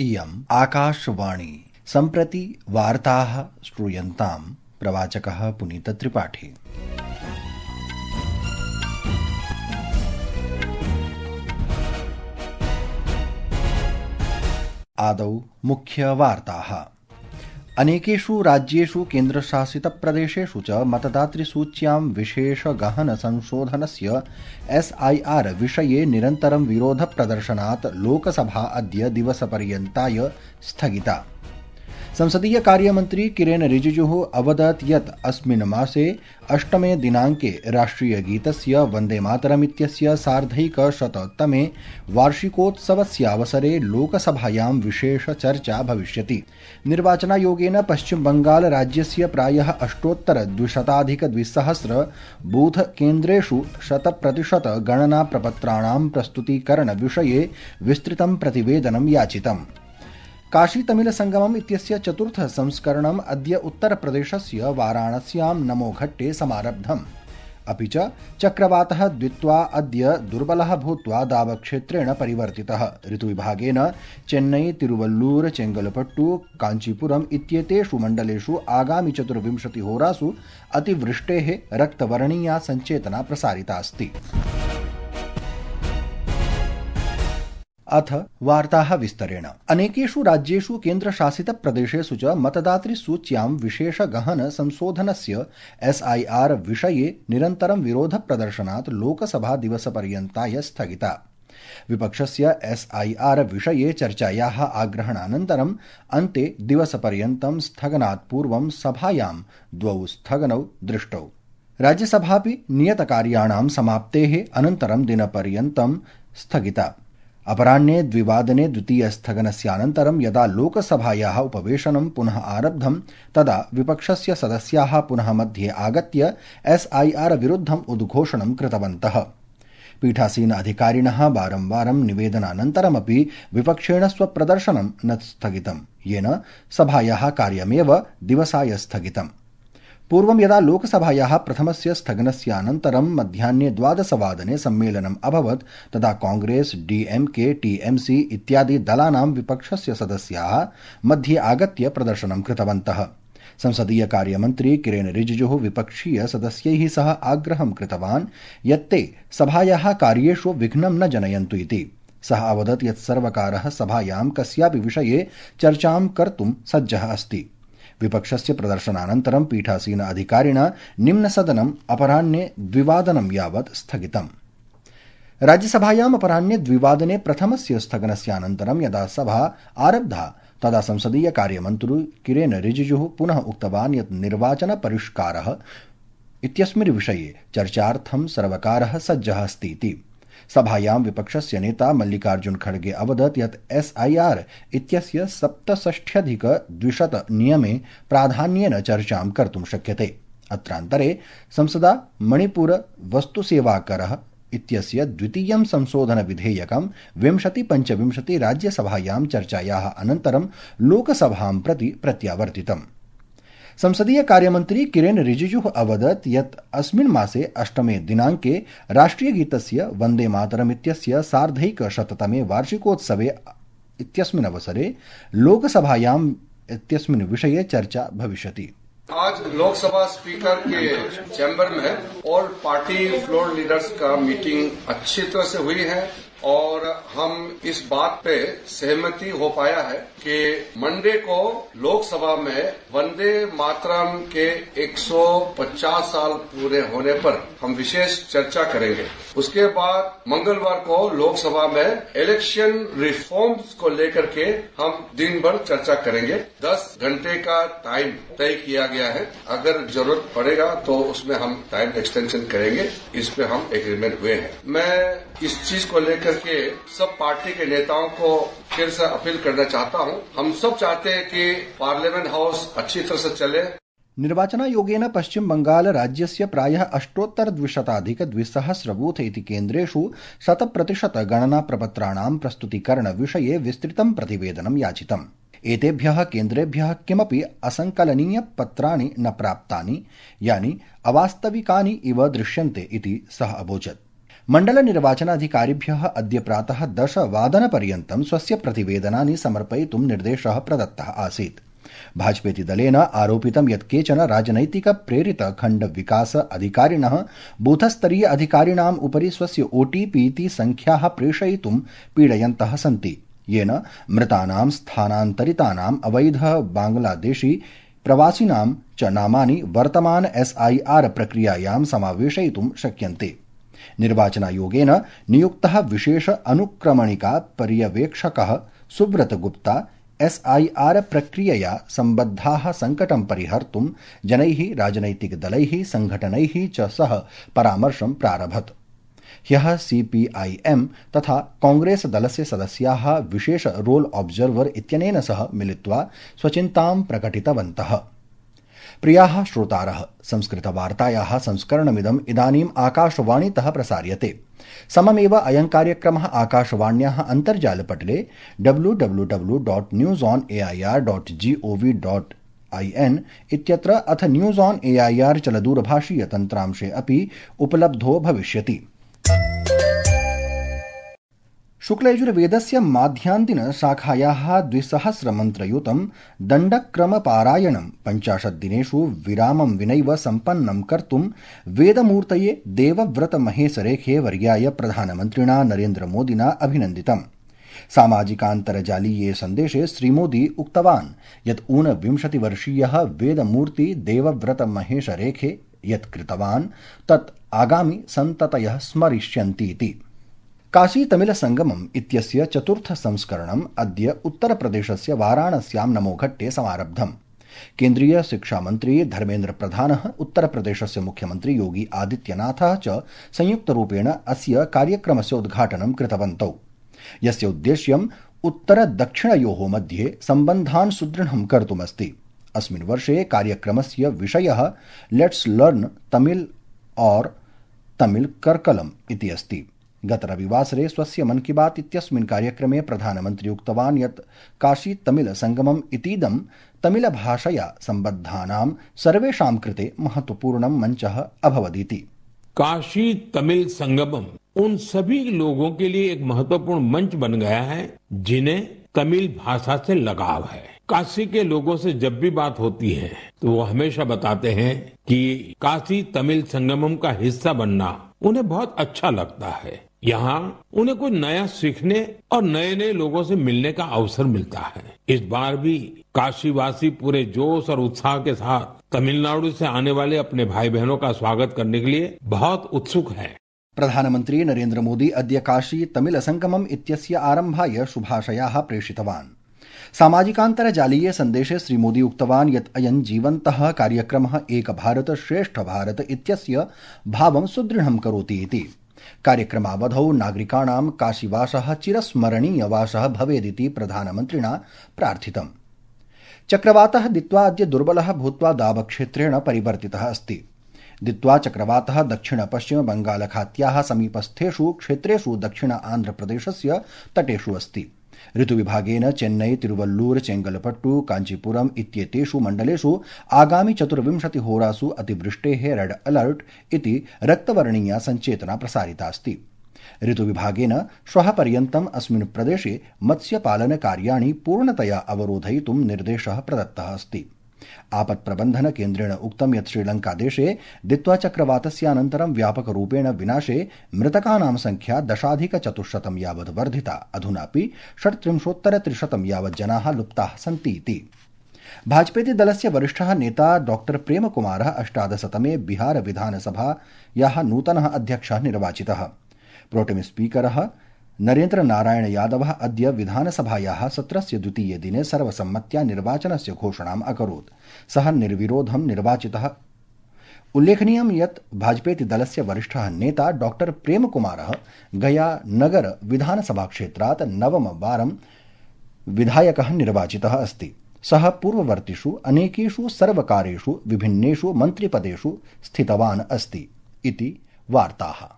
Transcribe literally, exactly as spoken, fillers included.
इयम् आकाशवाणी। सम्प्रति वार्ताः श्रूयन्ताम्। प्रवाचकः पुनीतत्रिपाठी। आदौ मुख्यवार्ताः। अनेकेषु राज्येषु केन्द्रशासितप्रदेशेषु च मतदातृसूच्यां विशेषगहनसंशोधनस्य एसआईआर विषये निरन्तरं विरोधप्रदर्शनात् लोकसभा अद्य दिवसपर्यन्ताय स्थगिता। संसदीय कार्यमन्त्री किरेन रिजिजुः अवदत् यत् अस्मिन् मासे अष्टमे दिनाङ्के राष्ट्रियगीतस्य वन्दे मातरम् इत्यस्य सार्धैकशततमे वार्षिकोत्सवस्यावसरे लोकसभायां विशेषचर्चा भविष्यति। निर्वाचनायोगेन पश्चिमबंगाल राज्यस्य प्रायः अष्टोत्तरद्विशताधिकद्विसहस्र बूथ केन्द्रेषु शतप्रतिशत गणनाप्रपत्राणां प्रस्तुतीकरणविषये विस्तृतं प्रतिवेदनं याचितम्। काशी तमिल संगमम् इत्यस्य चतुर्थ संस्करणम् अद्य उत्तरप्रदेशस्य वाराणस्यां नमोघट्टे समारब्धम्। अपि च चक्रवातः द्वित्वा अद्य दुर्बलः भूत्वा दावक्षेत्रेण परिवर्तितः। ऋतुविभागेन चेन्नई, तिरुवल्लूर, चेंगलपट्टु, कांचीपुरम् इत्येतेषु मण्डलेषु आगामि चतुर्विंशतिहोरासु अतिवृष्टेः रक्तवर्णीया सञ्चेतना प्रसारिता अस्ति। अथ वार्ताः विस्तरेण। अनेकेषु राज्येषु केन्द्रशासितप्रदेशेषु च मतदातृसूच्यां विशेषगहन संशोधनस्य एसआईआर विषये निरन्तरं विरोधप्रदर्शनात् लोकसभा दिवसपर्यन्ताय स्थगिता। विपक्षस्य एसआईआर विषये चर्चायाः आग्रहणानन्तरम् अन्ते दिवसपर्यन्तं स्थगनात् पूर्वं सभायां द्वौ स्थगनौ दृष्टौ। राज्यसभापि नियतकार्याणां समाप्तेः अनन्तरं दिनपर्यन्तं स्थगिता। अपराह्ने द्विवादने द्वितीयस्थगनस्यानन्तरं यदा लोकसभायाः उपवेशनं पुनः आरब्धं तदा विपक्षस्य सदस्याः पुनः मध्ये आगत्य एसआईआर विरुद्धम् उद्घोषणं कृतवन्तः। पीठासीन अधिकारिणः वारंवारं निवेदनानन्तरमपि विपक्षेण स्वप्रदर्शनं न स्थगितं, येन सभायाः कार्यमेव दिवसाय स्थगितम्। पूर्वं यदा लोकसभायाः प्रथमस्य स्थगनस्यानन्तरं मध्याह्ने द्वादशवादने सम्मेलनम् अभवत् तदा कांग्रेस, डीएमके, टीएमसी इत्यादि दलानां विपक्षस्य सदस्याः मध्ये आगत्य प्रदर्शनं कृतवन्तः। संसदीय कार्यमन्त्री किरेन रिजिजुः विपक्षीय सदस्यैः सह आग्रहं कृतवान् यत् ते सभायाः कार्येषु विघ्नं न जनयन्तु इति। सः अवदत् यत् सर्वकारः सभायां कस्यापि विषये चर्चां कर्तुं सज्जः अस्ति। विपक्षस्य प्रदर्शनानन्तरं पीठासीन अधिकारिणा निम्नसदनम् अपराह्ने द्विवादनं यावत् स्थगितम्। राज्यसभायाम् अपराह्ने द्विवादने प्रथमस्य स्थगनस्यानन्तरं यदा सभा आरब्धा तदा संसदीय कार्यमन्त्री किरेन रिजिजुः पुनः उक्तवान् यत् निर्वाचन परिष्कारः इत्यस्मिन् विषये चर्चार्थं सर्वकारः सज्जः अस्ति इति। सभायां विपक्षस्य नेता मल्लिकार्जुन खड़गे अवदत् यत् एसआईआर इत्यस्य सप्तषष्ट्यधिकद्विशत नियमे प्राधान्येन चर्चां कर्तुं शक्यते। अत्रान्तरे संसदा मणिपुर वस्तुसेवाकरः इत्यस्य द्वितीयं संशोधन विधेयकं विंशति पञ्चविंशति राज्यसभायां चर्चायाः अनन्तरं लोकसभां प्रति प्रत्यावर्तितम्। संसदीय कार्यमन्त्री किरेन रिजिजुः अवदत् यत् अस्मिन् मासे अष्टमे दिनाङ्के राष्ट्रियगीतस्य वन्दे मातरम् इत्यस्य सार्धैकशततमे वार्षिकोत्सवे इत्यस्मिन् अवसरे लोकसभायाम् इत्यस्मिन् विषये चर्चा भविष्यति। आज लोकसभा स्पीकर के चैम्बर में ऑल पार्टी फ्लोर लीडर्स का मीटिंग अच्छी तरह से हुई है और हम इस बात पे सहमति हो पाया है कि मंडे को लोकसभा में वंदे मातरम के एक सौ पचास साल पूरे होने पर हम विशेष चर्चा करेंगे। उसके बाद मंगलवार को लोकसभा में इलेक्शन रिफॉर्म्स को लेकर के हम दिन भर चर्चा करेंगे। दस घंटे का टाइम तय किया गया है। अगर जरूरत पड़ेगा तो उसमें हम टाइम एक्सटेंशन करेंगे। इस पे हम एग्रीमेंट हुए हैं। मैं इस चीज को लेकर के सब पार्टी के नेताओं को फिर से अपील करना चाहता हूं। हम सब चाहते हैं कि पार्लियामेंट हाउस अच्छी तरह से चले। निर्वाचनायोगेन पश्चिम बंगाल राज्यस्य प्रायः अष्टोत्तरद्विशताधिकद्विसहस्र बूथ इति केन्द्रेषु शतप्रतिशत गणनाप्रपत्राणां प्रस्तुतीकरणविषये विस्तृतं प्रतिवेदनं याचितम्। एतेभ्यः केन्द्रेभ्यः किमपि असंकलनीयपत्राणि न प्राप्तानि, यानि अवास्तविकानि इव दृश्यन्ते इति सः अवोचत्। मण्डल निर्वाचनाधिकारिभ्यः अद्य प्रातः दशवादनपर्यन्तं स्वस्य प्रतिवेदनानि समर्पयितुं निर्देशः प्रदत्तः आसीत्। भाजपेति दलेन आरोपितं यत् केचन राजनैतिक प्रेरित खण्ड विकास अधिकारिणः बूथस्तरीय अधिकारिणाम् उपरि स्वस्य ओटीपी इति संख्याः प्रेषयितुं पीडयन्तः सन्ति, येन मृतानां स्थानान्तरितानाम् अवैध बांग्लादेशी प्रवासिनां च नामानि वर्तमान एसआईआर प्रक्रियायां समावेशयितुं शक्यन्ते। निर्वाचनायोगेन नियुक्तः विशेष अनुक्रमणिका पर्यवेक्षकः सुब्रत गुप्ता एसआईआर प्रक्रियया सम्बद्धाः संकटं परिहर्तुं जनैः राजनैतिकदलैः संघटनैः च सह परामर्शं प्रारभत। ह्यः सीपीआईएम तथा कांग्रेस दलस्य सदस्याः विशेष रोल ऑब्जर्वर इत्यनेन सह मिलित्वा स्वचिन्तां प्रकटितवन्तः। प्रियाः श्रोतारः, संस्कृतवार्तायाः संस्करणमिदम् इदानीम् आकाशवाणीतः प्रसार्यते। सममेव अयं कार्यक्रमः आकाशवाण्याः अन्तर्जालपटले W W W dot news on AIR dot gov dot IN इत्यत्र अथ न्यूज ऑन एआईआर चलदूरभाषीय तन्त्रांशे अपि उपलब्धो भविष्यति। शुक्लयजुर्वेदस्य माध्यान्तिन शाखायाः द्विसहस्रमन्त्रयुतं दण्डक्रमपारायणं पञ्चाशत् दिनेषु विरामं विनैव सम्पन्नं कर्तुं वेदमूर्तये देवव्रतमहेशरेखे वर्याय प्रधानमन्त्रिणा नरेन्द्रमोदिना अभिनन्दितम्। सामाजिकान्तर्जालीये सन्देशे श्रीमोदी उक्तवान् यत् ऊनविंशतिवर्षीयः वेदमूर्ति देवव्रतमहेशरेखे यत् कृतवान् तत् आगामि सन्ततयः स्मरिष्यन्तीति। काशी तमिल संगमम् इत्यस्य चतुर्थ संस्करणम् अद्य उत्तरप्रदेशस्य वाराणस्यां नमोघट्टे समारब्धम्। केन्द्रीय शिक्षामन्त्री धर्मेन्द्र प्रधानः, उत्तरप्रदेशस्य मुख्यमन्त्री योगी आदित्यनाथः च संयुक्तरूपेण अस्य कार्यक्रमस्य उद्घाटनं कृतवन्तौ, यस्य उद्देश्यम् उत्तर-दक्षिणयोः मध्ये सम्बन्धान् सुदृढं कर्तुमस्ति। अस्मिन् वर्षे कार्यक्रमस्य विषयः लेट्स लर्न तमिल और तमिल कर्कलम् इति अस्ति। गत रविवासरे स्वस्य मन की बात इत्यस्मिन् कार्यक्रमे प्रधानमन्त्री उक्तवान् यत् काशी तमिल संगमम् इतीदं तमिल भाषया सम्बद्धानां सर्वेषां कृते महत्वपूर्णं मञ्चः अभवदिति। काशी तमिल संगमम उन सभी लोगों के लिए एक महत्वपूर्ण मंच बन गया है जिन्हें तमिल भाषा से लगाव है। काशी के लोगों से जब भी बात होती है तो वो हमेशा बताते हैं कि काशी तमिल संगमम का हिस्सा बनना उन्हें बहुत अच्छा लगता है। यहाँ उन्हें कुछ नया सीखने और नए नए लोगों से मिलने का अवसर मिलता है। इस बार भी काशीवासी पूरे जोश और उत्साह के साथ तमिलनाडु से आने वाले अपने भाई बहनों का स्वागत करने के लिए बहुत उत्सुक हैं। प्रधानमन्त्री नरेन्द्र मोदी अद्य काशी तमिल संगमम् इत्यस्य आरम्भाय शुभाशयाः प्रेषितवान्। सामाजिकान्तर्जालीय सन्देशे श्रीमोदी उक्तवान् यत् अयं जीवन्तः कार्यक्रमः एक भारत श्रेष्ठ भारत इत्यस्य भावं सुदृढं करोति इति। कार्यक्रमावधौ नागरिकाणां काशीवासः चिरस्मरणीयवासः भवेदिति प्रधानमन्त्रिणा प्रार्थितम्। चक्रवातः दित्वा अद्य दुर्बलः भूत्वा दावक्षेत्रेण परिवर्तितः अस्ति। दित्वा चक्रवातः दक्षिण पश्चिम बंगालखात्याः समीपस्थेषु क्षेत्रेषु दक्षिण आन्ध्रप्रदेशस्य तटेषु अस्ति। ऋतुविभागेन चेन्नई, तिरुवल्लूर, चेंगलपट्टू, कांचीपुरम इत्येतेषु मण्डलेषु आगामि चतुर्विंशति होरासु अतिवृष्टेः रेड अलर्ट इति रक्तवर्णीया सञ्चेतना प्रसारितास्ति। ऋतुविभागेन श्वः पर्यन्तम् अस्मिन् प्रदेशे मत्स्यपालनकार्याणि पूर्णतया अवरोधयितुं निर्देशः प्रदत्तः अस्ति। आपत्प्रबन्धन केन्द्रेण उक्तं यत् श्रीलङ्कादेशे दित्वा चक्रवातस्यानन्तरं व्यापकरूपेण विनाशे मृतकानां संख्या दशाधिकचतुश्शतं यावत् वर्धिता। अधुनापि षट्त्रिंशोत्तर त्रिशतं यावत् जनाः लुप्ताः सन्ति इति। भाजपेति दलस्य वरिष्ठः नेता डॉक्टर प्रेमकुमारः अष्टादशतमे बिहार विधानसभायाः नूतनः अध्यक्षः निर्वाचितः। प्रोटेम स्पीकरः नरेन्द्र नारायण यादवः अद्य विधानसभायाः सत्रस्य द्वितीये दिने सर्वसम्मत्या निर्वाचनस्य घोषणाम् अकरोत्। सः निर्विरोधं निर्वाचितः। उल्लेखनीयं यत् भाजपेति दलस्य वरिष्ठः नेता डॉक्टर प्रेमकुमारः गया नगर विधानसभाक्षेत्रात् नवमवारं विधायकः निर्वाचितः अस्ति। सः पूर्ववर्तिषु अनेकेषु सर्वकारेषु विभिन्नेषु मन्त्रिपदेषु स्थितवान् अस्ति इति वार्ताः।